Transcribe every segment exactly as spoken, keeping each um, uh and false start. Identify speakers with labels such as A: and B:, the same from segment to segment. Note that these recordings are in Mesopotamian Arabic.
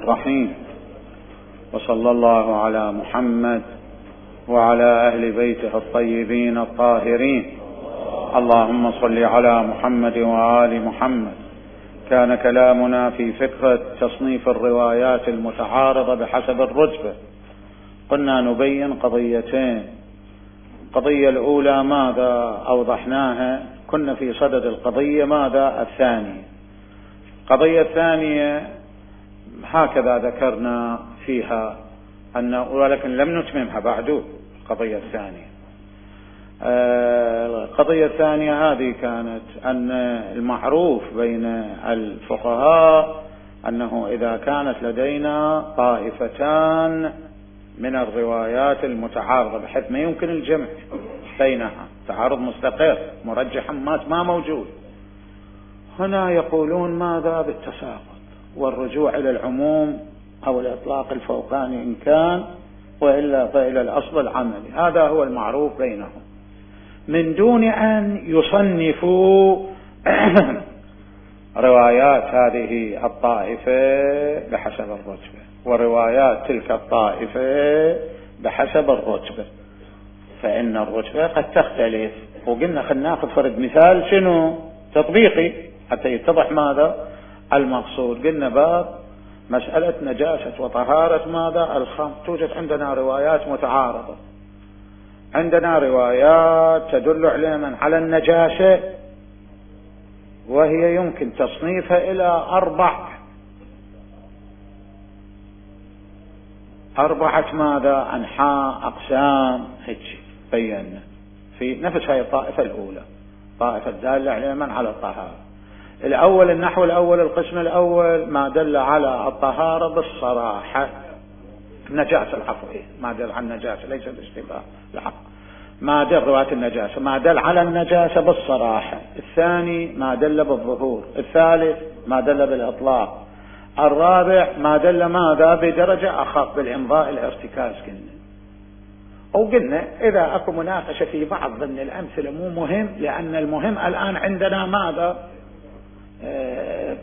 A: الرحيم. وصلى الله على محمد وعلى أهل بيته الطيبين الطاهرين. اللهم صل على محمد وآل محمد. كان كلامنا في فكرة تصنيف الروايات المتعارضة بحسب الرتبة. قلنا نبين قضيتين. القضية الأولى ماذا أوضحناها؟ كنا في صدد القضية ماذا الثانية. القضية الثانية هكذا ذكرنا فيها أن ولكن لم نتممها بعد. القضية الثانية القضية الثانية هذه كانت أن المعروف بين الفقهاء أنه إذا كانت لدينا طائفتان من الروايات المتعارضة بحيث ما يمكن الجمع بينها، تعارض مستقر مرجحا ما موجود، هنا يقولون ماذا بالتساقط والرجوع إلى العموم أو الإطلاق الفوقاني إن كان، وإلا فإلى الأصل العملي. هذا هو المعروف بينهم من دون أن يصنفوا روايات هذه الطائفة بحسب الرتبة وروايات تلك الطائفة بحسب الرتبة، فإن الرتبة قد تختلف. وقلنا خلنا ناخذ فرد مثال شنو تطبيقي حتى يتضح ماذا المقصود. قلنا باب مسألة نجاسة وطهارة ماذا الخمر. توجد عندنا روايات متعارضة، عندنا روايات تدل علما على النجاسة وهي يمكن تصنيفها إلى أربع أربعة ماذا أنحاء أقسام هيك بينا في نفس هاي الطائفة الأولى، طائفة دالة علما على الطهارة. الأول النحو الأول القسم الأول ما دل على الطهارة بالصراحة، النجاسة العفو ما دل على النجاسة ليس الاشتباه الحق، ما دل رواية النجاسة ما دل على النجاسة بالصراحة. الثاني ما دل بالظهور. الثالث ما دل بالإطلاق. الرابع ما دل ماذا بدرجة أخف بالإمضاء الارتكاز. قلنا أو قلنا إذا أكو مناقشة في بعض ضمن الأمثلة مو مهم، لأن المهم الآن عندنا ماذا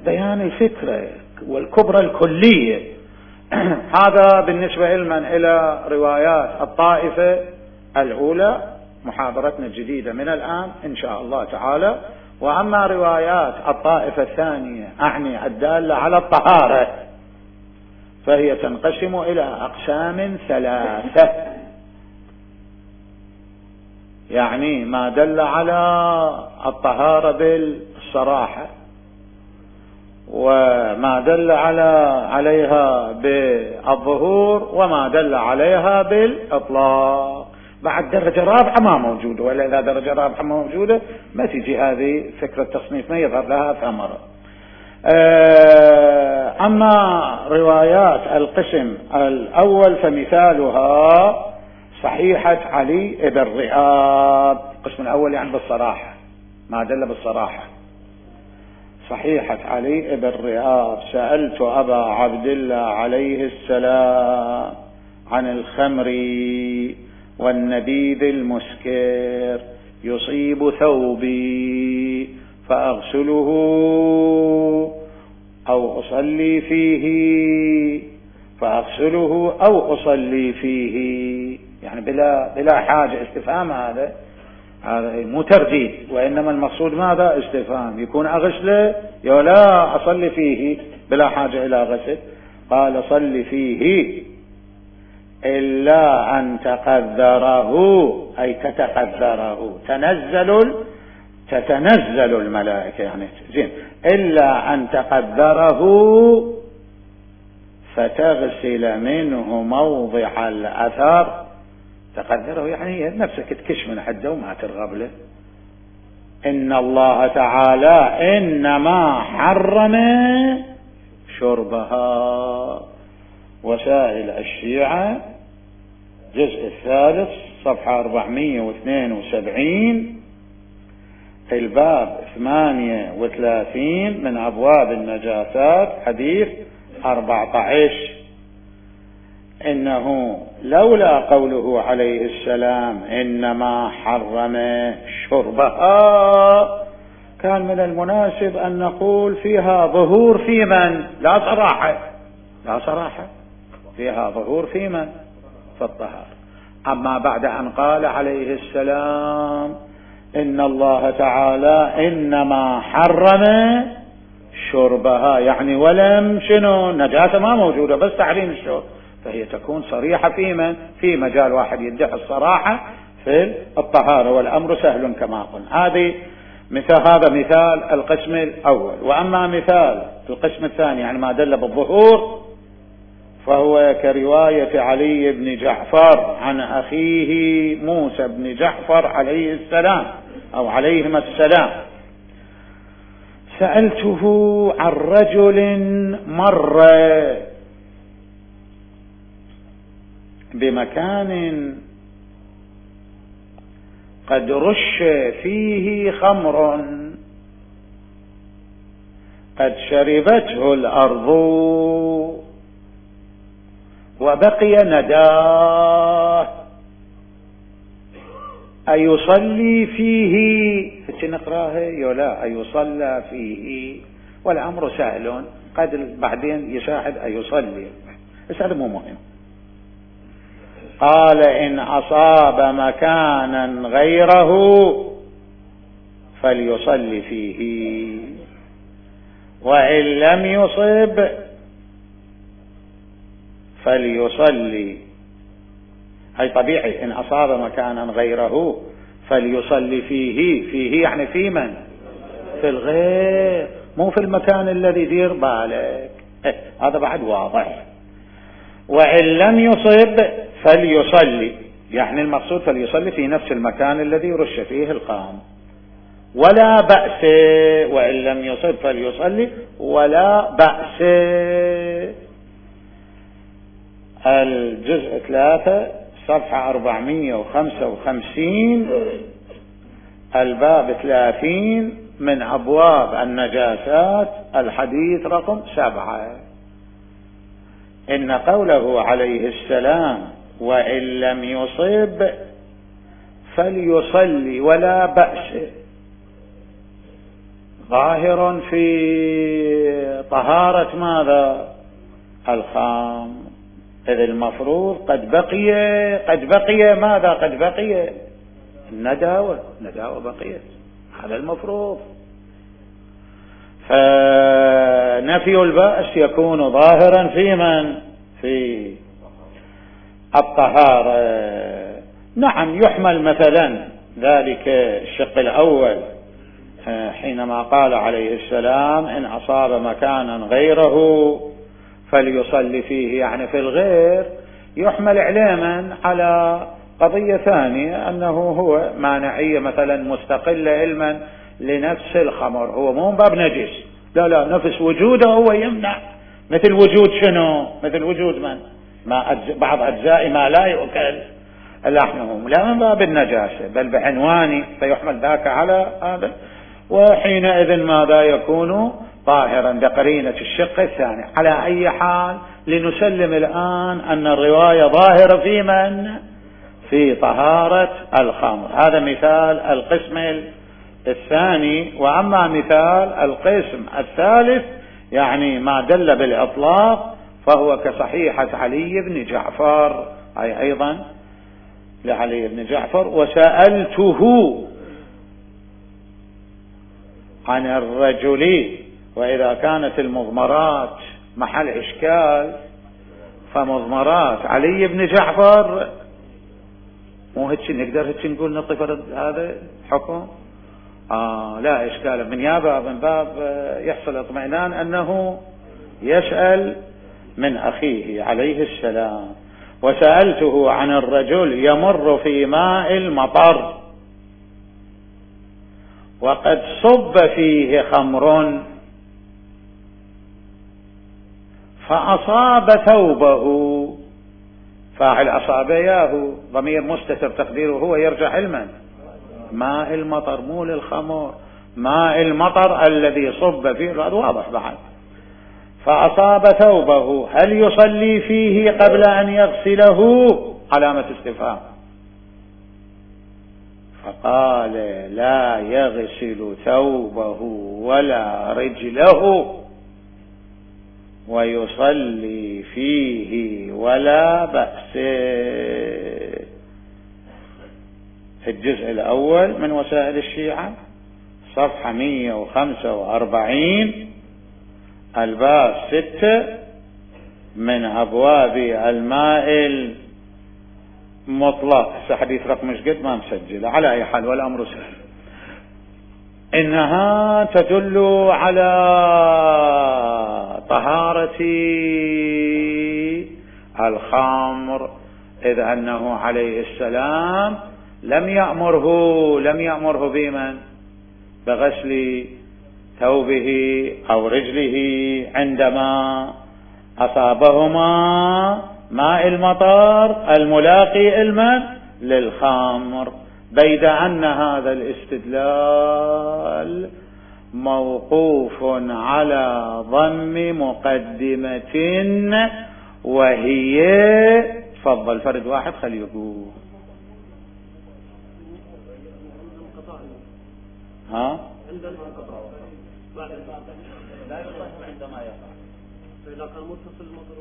A: بيان الفكرة والكبرى الكلية. هذا بالنسبة لمن إلى روايات الطائفة الأولى محاضرتنا الجديدة من الآن إن شاء الله تعالى. وأما روايات الطائفة الثانية أعني الدالة على الطهارة فهي تنقسم إلى أقسام ثلاثة، يعني ما دل على الطهارة بالصراحة، وما دل على عليها بالظهور، وما دل عليها بالإطلاق. بعد درجة رابعة ما موجودة، ولا إذا درجة رابعة ما موجودة ما تجي هذه فكرة تصنيف ما يظهر لها ثمرة. أما روايات القسم الأول فمثالها صحيحة علي بن رئاب. القسم الأول يعني بالصراحة ما دل بالصراحة. صحيحة علي بن رئاب سألت أبا عبد الله عليه السلام عن الخمر والنبيذ المسكر يصيب ثوبي فأغسله أو أصلي فيه فأغسله أو أصلي فيه، يعني بلا بلا حاجة. استفهام هذا هذا مو ترديد، وإنما المقصود ماذا استفهام. يكون أغسله يا لا أصلي فيه بلا حاجة إلى غسل. قال صلي فيه إلا أن تقدره أي تتقدره تنزل تتنزل الملائكة يعني زين إلا أن تقدره فتغسل منه موضع الأثر. تقدره يعني نفسك تكش من حده وما ترغب له. إن الله تعالى إنما حرم شربها. وسائل الشيعة جزء الثالث صفحة أربعمائة واثنين وسبعين الباب ثمانية وثلاثين من أبواب النجاسات حديث أربعة عشر. إنه لولا قوله عليه السلام إنما حرم شربها كان من المناسب أن نقول فيها ظهور في من لا صراحة لا صراحة فيها ظهور في من؟ في الطهارة. أما بعد أن قال عليه السلام إن الله تعالى إنما حرم شربها، يعني ولم شنو نجاسة ما موجودة بس تحريم الشرب، فهي تكون صريحة في من؟ في مجال واحد يدعي الصراحة في الطهارة، والأمر سهل كما قلنا. هذه مثال، هذا مثال القسم الأول. وأما مثال القسم الثاني يعني ما دل بالظهور فهو كرواية علي بن جعفر عن أخيه موسى بن جعفر عليه السلام أو عليهما السلام: سألته عن رجل مر بمكان قد رش فيه خمر قد شربته الأرض وبقي نداه أيصلي فيه؟ نقراه يولا أيصلى فيه، والأمر سهل قد بعدين يشاهد أيصلي، بس هذا مو مهم. قال إن أصاب مكانا غيره فليصلي فيه، وإن لم يصب فليصلي. هي طبيعي، إن أصاب مكانا غيره فليصلي فيه. فيه يعني في من؟ في الغير، مو في المكان الذي دير بالك. إيه هذا بعد واضح. وإن لم يصب فليصلي، يعني المقصود فليصلي في نفس المكان الذي رش فيه القام، ولا بأس. وإن لم يصب فليصلي ولا بأس. الجزء ثلاثة صفحة أربعمائة وخمسة وخمسين، الباب ثلاثين من أبواب النجاسات، الحديث رقم سبعة. إن قوله عليه السلام وإن لم يصب فليصلي ولا بأس ظاهر في طهارة ماذا؟ الخام. إذ المفروض قد بقي قد بقي ماذا؟ قد بقي النداوة، النداوة بقيت، هذا المفروض. فنفي البأس يكون ظاهرا في من؟ في الطهارة. نعم يحمل مثلا ذلك الشق الأول حينما قال عليه السلام إن أصاب مكانا غيره فليصلي فيه، يعني في الغير، يحمل علما على قضية ثانية أنه هو مانعية مثلا مستقلة علما لنفس الخمر، هو مو باب نجس، لا لا، نفس وجوده هو يمنع، مثل وجود شنو؟ مثل وجود من؟ ما أجز... بعض أجزاء ما لا يؤكل لحمه، لا من باب النجاسة بل بعنواني، فيحمل ذاك على هذا، وحينئذ ماذا يكون ظاهرا بقرينة الشق الثاني. على أي حال لنسلم الآن أن الرواية ظاهرة في من؟ في طهارة الخمر. هذا مثال القسم الثاني. وأما مثال القسم الثالث يعني ما دل بالإطلاق فهو كصحيحة علي بن جعفر، أي أيضا لعلي بن جعفر: وسألته عن الرجل. وإذا كانت المضمرات محل إشكال فمضمرات علي بن جعفر مو هيك نقدر هيك نقول نطف هذا حكم آه لا إشكال، من يابا من باب يحصل اطمئنان أنه يسأل من أخيه عليه السلام. وسألته عن الرجل يمر في ماء المطر وقد صب فيه خمر فأصاب ثوبه. فاعل أصاب ياهو ضمير مستتر تقديره هو يرجع علما ماء المطر، مو للخمر، ماء المطر الذي صب فيه، هذا واضح بعد. فأصاب ثوبه هل يصلي فيه قبل أن يغسله؟ علامة استفهام. فقال لا يغسل ثوبه ولا رجله ويصلي فيه ولا بأس. الجزء الأول من وسائل الشيعة صفحة مئة وخمسة وأربعين الباب ستة من أبواب الماء المطلق. حديث رقم مش قد ما مسجل، على أي حال والأمر سهل. إنها تدل على طهارة الخمر، إذ أنه عليه السلام لم يأمره لم يأمره بمن بغسل ثوبه أو رجله عندما أصابهما ماء المطر الملاقي المن للخمر، بيد أن هذا الاستدلال موقوف على ضم مقدمة، وهي تفضل فرد واحد خليه يقول. ها عندما لا يصح عندما يقع، فإذا كان متصل المطر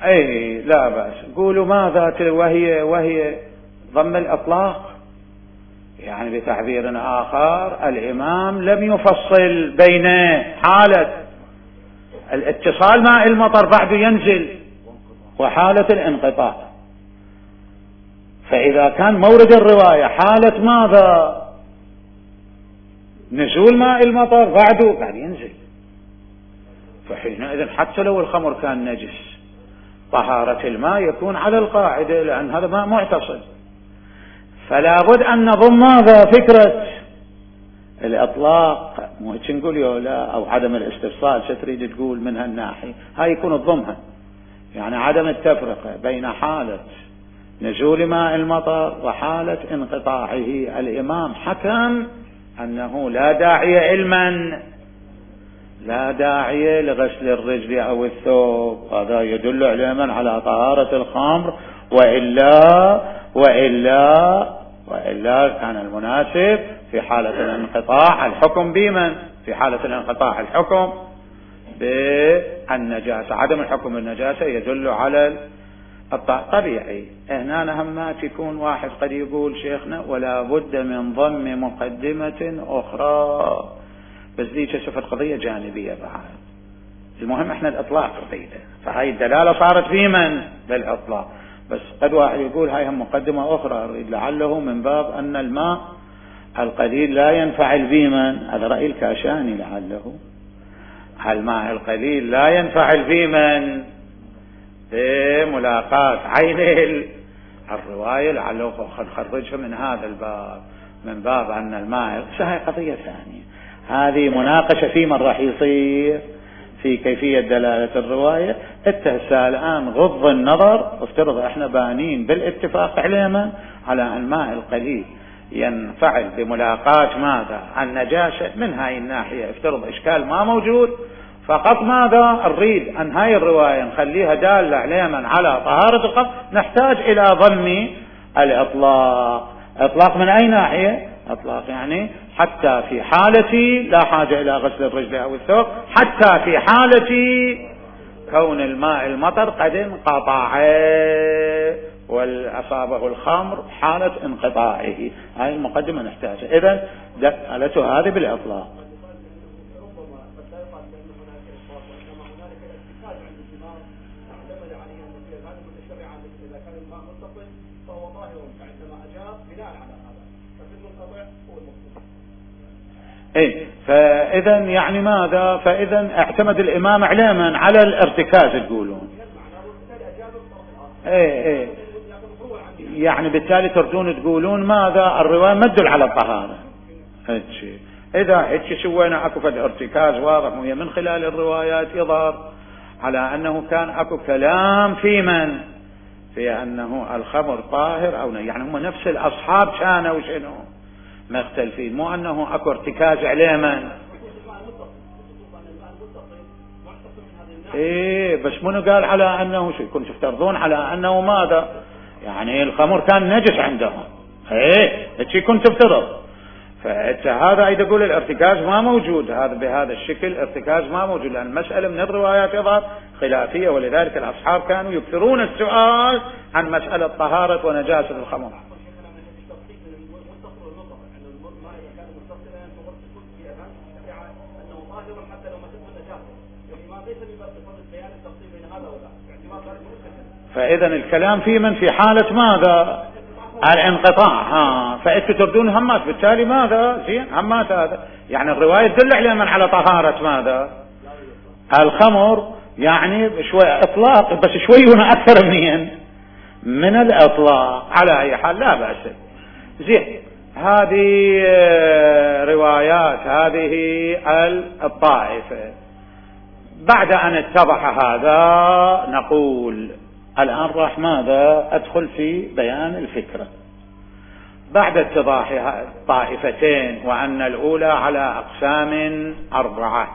A: اي لا بأس. قولوا ماذا وهي وهي ضم الإطلاق، يعني بتعبير آخر الإمام لم يفصل بين حالة الاتصال مع المطر بعد ينزل وحالة الانقطاع. فإذا كان مورد الرواية حالة ماذا نزول ماء المطر بعده بعد ينزل، فحينئذ حتى لو الخمر كان نجس طهارة الماء يكون على القاعدة، لأن هذا ماء معتصل. فلا بد أن نضم ماذا فكرة الإطلاق، مو هيك نقول يولا أو عدم الاستفصال، ستريد تقول من هالناحية هاي يكون الضمها، يعني عدم التفرقة بين حالة نزول ماء المطر وحالة انقطاعه. الإمام حكم أنه لا داعي علما لا داعي لغسل الرجل أو الثوب، هذا يدل علما على طهارة الخمر، وإلا وإلا وإلا كان المناسب في حالة الانقطاع الحكم بمن في حالة الانقطاع الحكم بالنجاسة. عدم الحكم بالنجاسة يدل على الطبيعي. هنا نهمات يكون واحد قد يقول شيخنا ولا بد من ضم مقدمة أخرى، بس ذي شفت قضية جانبية بعد. المهم احنا الإطلاق قضية، فهاي الدلالة صارت في من بالإطلاق، بس قد واحد يقول هاي هم مقدمة أخرى لعله من باب أن الماء القليل لا ينفعل بمن، هذا رأي الكاشاني، لعله الماء القليل لا ينفعل بمن بملاقاة عين الرواية، لعله خرجها من هذا الباب من باب أن الماء. هاي قضية ثانية، هذه مناقشة في من راح يصير في كيفية دلالة الرواية. التهسى الآن غض النظر، افترض احنا بانين بالاتفاق علينا على أن الماء القليل ينفعل بملاقاة ماذا النجاسة، من هاي الناحية افترض إشكال ما موجود، فقط ماذا نريد أن هاي الرواية نخليها دالة علينا على طهارة القلب، نحتاج إلى ضم الإطلاق. إطلاق من أي ناحية؟ إطلاق يعني حتى في حالة لا حاجة إلى غسل الرجل أو الثوب، حتى في حالة كون الماء المطر قد انقطع والأصابه الخمر حالة انقطاعه. هاي المقدمة نحتاجها. إذن دلالته هذه بالإطلاق. إيه فإذا يعني ماذا؟ فإذا اعتمد الإمام علما على الارتكاز تقولون. إيه إيه يعني بالتالي تردون تقولون ماذا؟ الرواية ما تدل على الطهارة. هتشي إذا هتشي سوينا أكو فد ارتكاز واضح، وهي من خلال الروايات يظهر على أنه كان أكو كلام في من في أنه الخمر طاهر أو يعني هم نفس الأصحاب كانوا شنو مختلفين، مو أنه أكو ارتكاز عليه من. إيه بس منو قال على أنه شو كنتوا تفترضون على أنه ماذا يعني الخمر كان نجس عندهم. إيه هيك كنت تفترض، فهذا أيضا يقول الارتكاز ما موجود، هذا بهذا الشكل ارتكاز ما موجود، لأن المسألة من الروايات يظهر خلافية، ولذلك الأصحاب كانوا يكثرون السؤال عن مسألة طهارة ونجاسة الخمر. فإذا الكلام في من في حالة ماذا؟ الانقطاع. ها فأنتم تردون همات، بالتالي ماذا؟ زين همات هذا يعني الرواية تدل على من على طهارة ماذا؟ الخمر، يعني شوي إطلاق، بس شوي هنا أكثر منين من الإطلاق. على أي حال لا بأس. زين، هذه روايات هذه الطائفة. بعد أن اتضح هذا نقول الآن راح ماذا؟ أدخل في بيان الفكرة. بعد اتضاح الطائفتين وأن الأولى على أقسام أربعة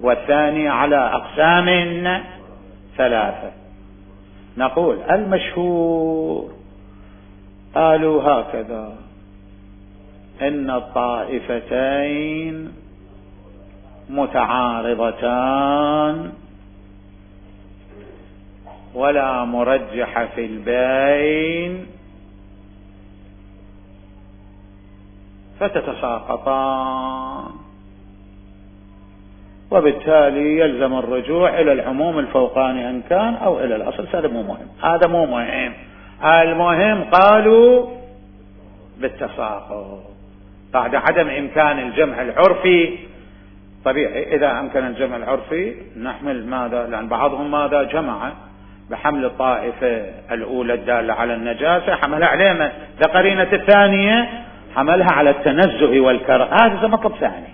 A: والثانية على أقسام ثلاثة، نقول المشهور قالوا هكذا: إن الطائفتين متعارضتان ولا مرجح في البين فتتساقطان، وبالتالي يلزم الرجوع إلى العموم الفوقاني إن كان أو إلى الأصل. هذا مو مهم، هذا مو مهم. المهم قالوا بالتساقط بعد عدم إمكان الجمع العرفي. طبيعي إذا أمكن الجمع العرفي نحمل ماذا؟ لأن بعضهم ماذا جمع بحمل الطائفة الأولى الدالة على النجاسة، حملها علينا لقرينة الثانية، حملها على التنزه والكراهة. هذا مطلب ثاني.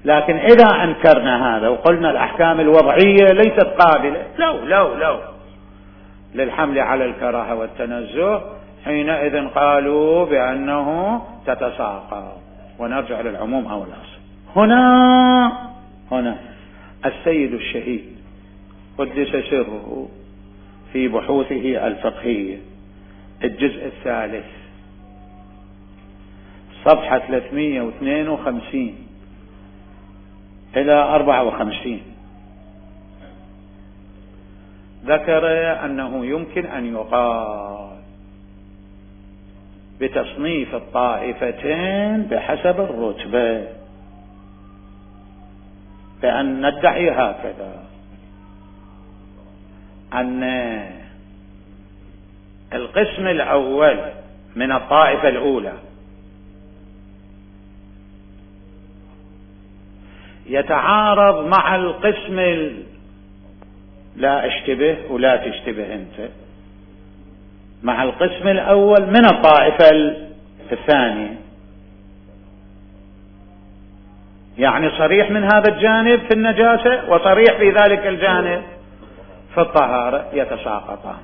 A: لكن إذا أنكرنا هذا وقلنا الأحكام الوضعية ليست قابلة لو لو لو للحمل على الكراهة والتنزه، حينئذ قالوا بأنه تتساقط ونرجع للعموم أو الأصل. هنا هنا السيد الشهيد قدس سره في بحوثه الفقهية الجزء الثالث صفحة ثلاثمئة واثنين وخمسين إلى أربعة وخمسين ذكر أنه يمكن أن يقال بتصنيف الطائفتين بحسب الرتبة، بأن ندعي هكذا: أن القسم الأول من الطائفة الأولى يتعارض مع القسم ال... لا اشتبه ولا تشتبه انت مع القسم الأول من الطائفة الثانية، يعني صريح من هذا الجانب في النجاسة وصريح في ذلك الجانب في الطهارة، يتساقطان.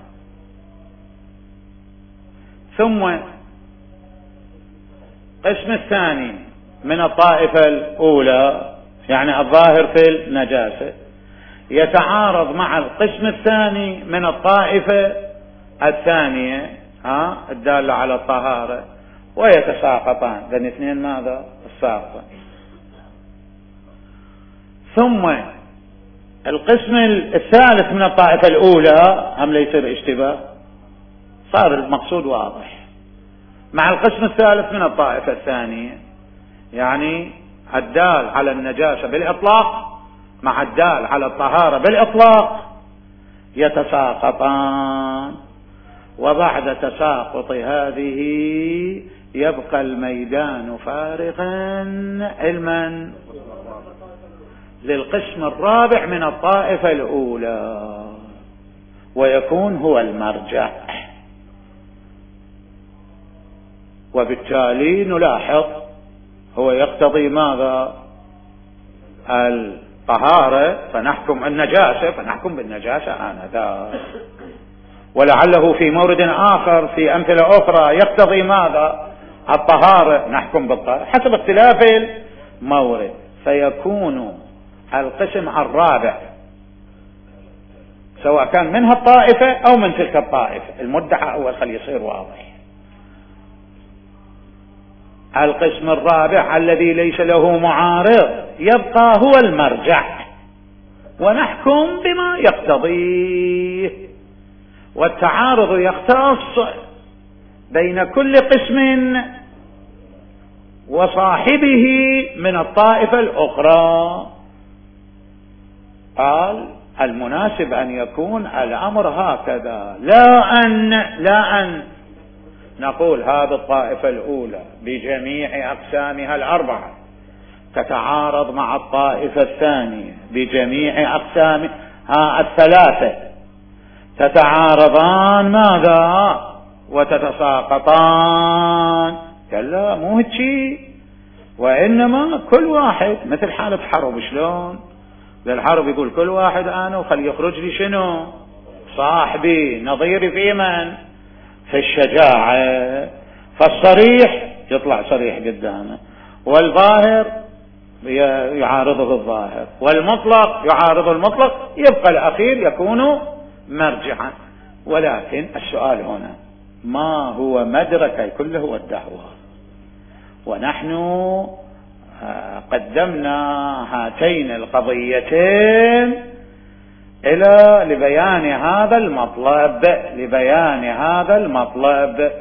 A: ثم القسم الثاني من الطائفة الأولى يعني الظاهر في النجاسة يتعارض مع القسم الثاني من الطائفة الثانية ها الدالة على الطهارة ويتساقطان، لأن اثنين ماذا؟ الساقطة. ثم القسم الثالث من الطائفة الأولى هم ليصير اشتباه، صار المقصود واضح، مع القسم الثالث من الطائفة الثانية يعني الدال على النجاسة بالإطلاق مع الدال على الطهارة بالإطلاق يتساقطان. وبعد تساقط هذه يبقى الميدان فارغا علما للقسم الرابع من الطائفة الأولى ويكون هو المرجع. وبالتالي نلاحظ هو يقتضي ماذا؟ الطهارة فنحكم النجاسة فنحكم بالنجاسة آنذاك، ولعله في مورد آخر في أمثلة أخرى يقتضي ماذا؟ الطهارة نحكم بالطهارة حسب اختلاف المورد، فيكون القسم الرابع سواء كان منها الطائفة أو من تلك الطائفة. المدعى أول خلي يصير واضح. القسم الرابع الذي ليس له معارض يبقى هو المرجع، ونحكم بما يقتضيه. والتعارض يختص بين كل قسم وصاحبه من الطائفة الأخرى. قال المناسب أن يكون الأمر هكذا، لا أن لا أن نقول هذه الطائفة الأولى بجميع أقسامها الأربعة تتعارض مع الطائفة الثانية بجميع أقسامها الثلاثة، تتعارضان ماذا وتتساقطان. كلا مو هيك، وإنما كل واحد مثل حالة حرب. شلون للحرب يقول كل واحد أنا وخلي يخرج لي شنو صاحبي نظيري في من في الشجاعة، فالصريح يطلع صريح قدامه، والظاهر يعارضه الظاهر، والمطلق يعارض المطلق، يبقى الأخير يكون مرجعا. ولكن السؤال هنا ما هو مدرك كله هو الدعوة؟ ونحن قدمنا هاتين القضيتين إلى لبيان هذا المطلب لبيان هذا المطلب.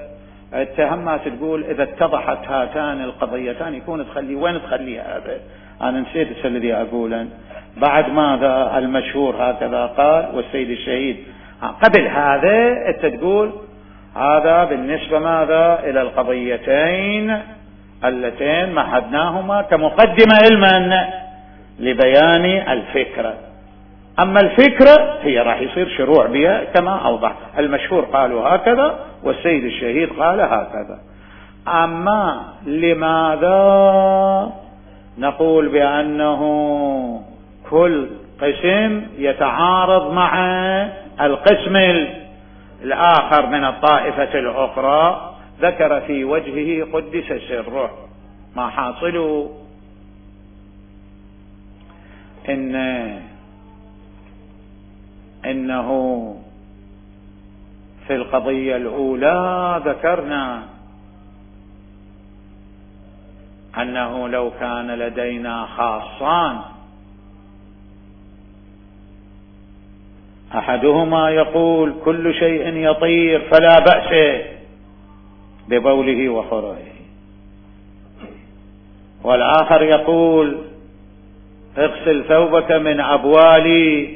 A: التهمات تقول إذا اتضحت هاتان القضيتان يكون تخلي وين تخلي هذا؟ أنا نسيت الذي أقولا بعد ماذا المشهور هكذا قال والسيد الشهيد قبل هذا. أنت تقول هذا بالنسبة ماذا إلى القضيتين اللتين مهدناهما كمقدمة علما لبيان الفكرة. أما الفكرة هي راح يصير شروع بها كما أوضح. المشهور قالوا هكذا والسيد الشهيد قال هكذا. أما لماذا نقول بأنه كل قسم يتعارض مع القسم الآخر من الطائفة الأخرى؟ ذكر في وجهه قدس سره ما حاصل إن إنه في القضية الأولى ذكرنا أنه لو كان لدينا خاصان أحدهما يقول كل شيء يطير فلا بأس ببوله وخرجه، والآخر يقول اغسل ثوبك من أبوال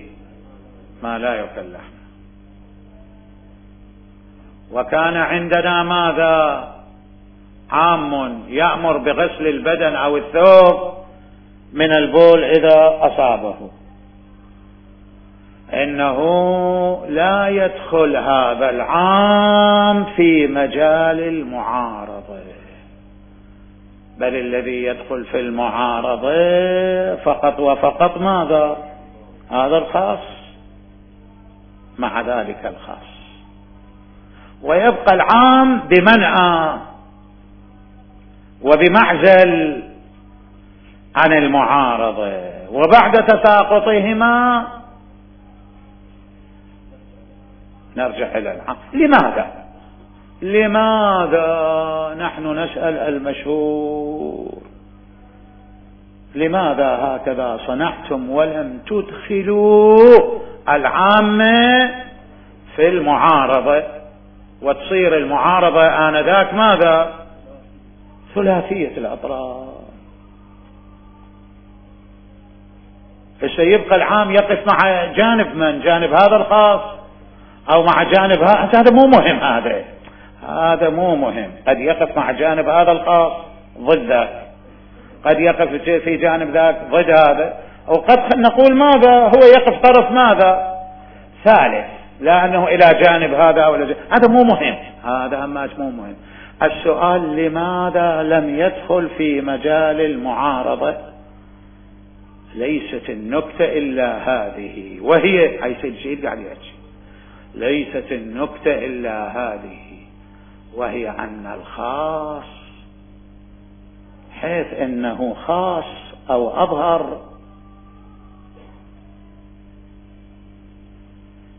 A: ما لا يكلح. وكان عندنا ماذا عام يأمر بغسل البدن أو الثوب من البول إذا أصابه. إنه لا يدخل هذا العام في مجال المعارضة، بل الذي يدخل في المعارضة فقط وفقط ماذا هذا الخاص مع ذلك الخاص، ويبقى العام بمنع وبمعزل عن المعارضة. وبعد تساقطهما نرجع إلى العام. لماذا لماذا نحن نسأل المشهور لماذا هكذا صنعتم ولم تدخلوا العامة في المعارضة وتصير المعارضة آنذاك ماذا ثلاثية الأطراف؟ فسيبقى العام يقف مع جانب من جانب هذا الخاص أو مع جانب هذا. هذا مو مهم هذا هذا مو مهم. قد يقف مع جانب هذا الخاص ضد ذاك، قد يقف في جانب ذاك ضد هذا، وقد نقول ماذا هو يقف طرف ماذا ثالث، لا أنه إلى جانب هذا أو إلى جانب. هذا مو مهم هذا هماش مو مهم. السؤال لماذا لم يدخل في مجال المعارضة؟ ليست النكتة إلا هذه، وهي حيث الشيء قاعد يحكي ليست النكتة إلا هذه، وهي أن الخاص حيث إنه خاص أو أظهر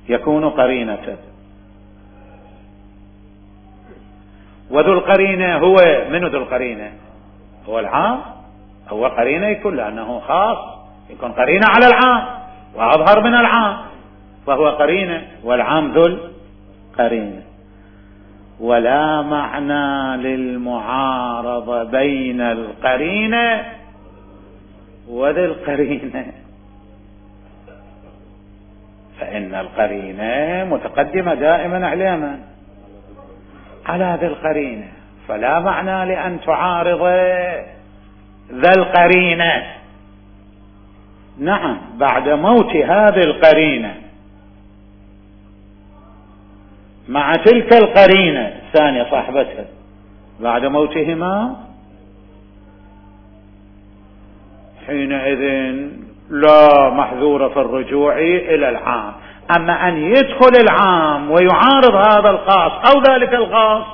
A: يكون قرينة، وذو القرينة هو من ذو القرينة هو العام، هو قرينة يكون لأنه خاص، يكون قرينة على العام وأظهر من العام، فهو قرينة، والعام ذو القرينة. ولا معنى للمعارضة بين القرينة وذي القرينة، فإن القرينة متقدمة دائما عليما على ذي القرينة، فلا معنى لأن تعارض ذا القرينة. نعم، بعد موت هذه القرينة مع تلك القرينة الثانية صاحبتها، بعد موتهما حينئذ لا محذور في الرجوع إلى العام. أما أن يدخل العام ويعارض هذا الخاص أو ذلك الخاص،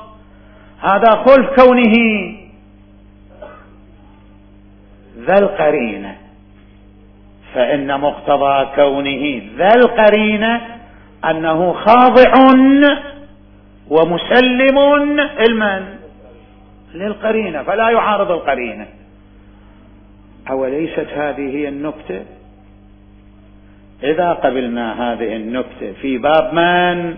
A: هذا خلف كونه ذا القرينة، فإن مقتضى كونه ذا القرينة أنه خاضع ومسلم المن للقرينة، فلا يعارض القرينة. أوليست هذه هي النكتة؟ إذا قبلنا هذه النكتة في باب من؟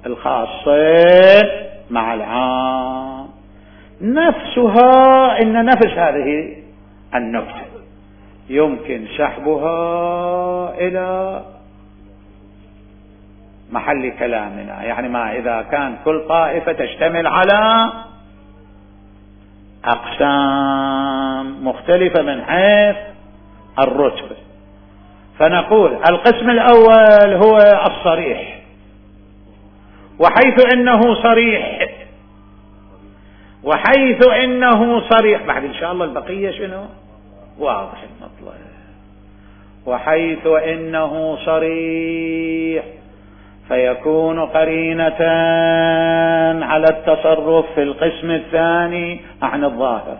A: الخاصين مع العام، نفسها إن نفس هذه النكتة يمكن سحبها إلى محل كلامنا، يعني ما إذا كان كل طائفة تشتمل على أقسام مختلفة من حيث الرتبة، فنقول القسم الأول هو الصريح، وحيث إنه صريح وحيث إنه صريح بعد إن شاء الله البقية شنو واضح المطلب، وحيث إنه صريح فيكون قرينة على التصرف في القسم الثاني عن الظاهر.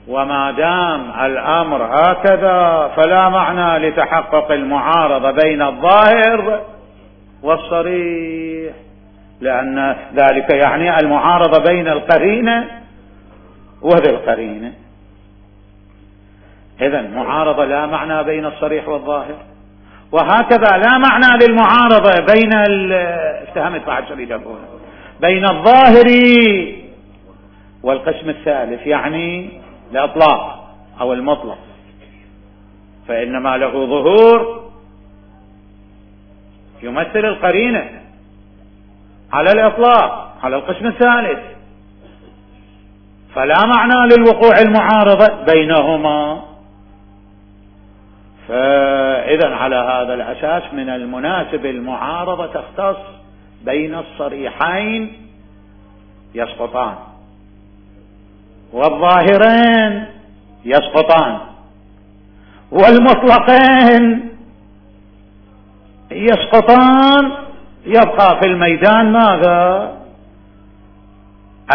A: وما دام الأمر هكذا فلا معنى لتحقق المعارضة بين الظاهر والصريح، لأن ذلك يعني المعارضة بين القرينة وذي القرينة. إذن معارضة لا معنى بين الصريح والظاهر، وهكذا لا معنى للمعارضة بين افتهمت بعد شريد أقول بين الظاهر والقسم الثالث، يعني الإطلاق أو المطلق، فإنما له ظهور يمثل القرينة على الإطلاق على القسم الثالث، فلا معنى للوقوع المعارضة بينهما. فإذا على هذا الأساس من المناسب المعارضة تختص بين الصريحين يسقطان والظاهرين يسقطان والمطلقين يسقطان، يبقى في الميدان ماذا؟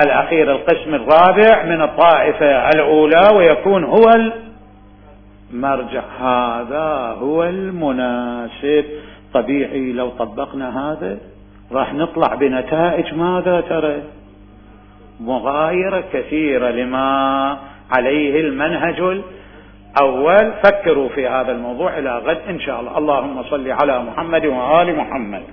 A: الأخير القسم الرابع من الطائفة الأولى، ويكون هو المرجع. هذا هو المناسب. طبيعي لو طبقنا هذا راح نطلع بنتائج ماذا ترى؟ مغايرة كثيرة لما عليه المنهج الأول. فكروا في هذا الموضوع إلى غد إن شاء الله. اللهم صل على محمد وآل محمد.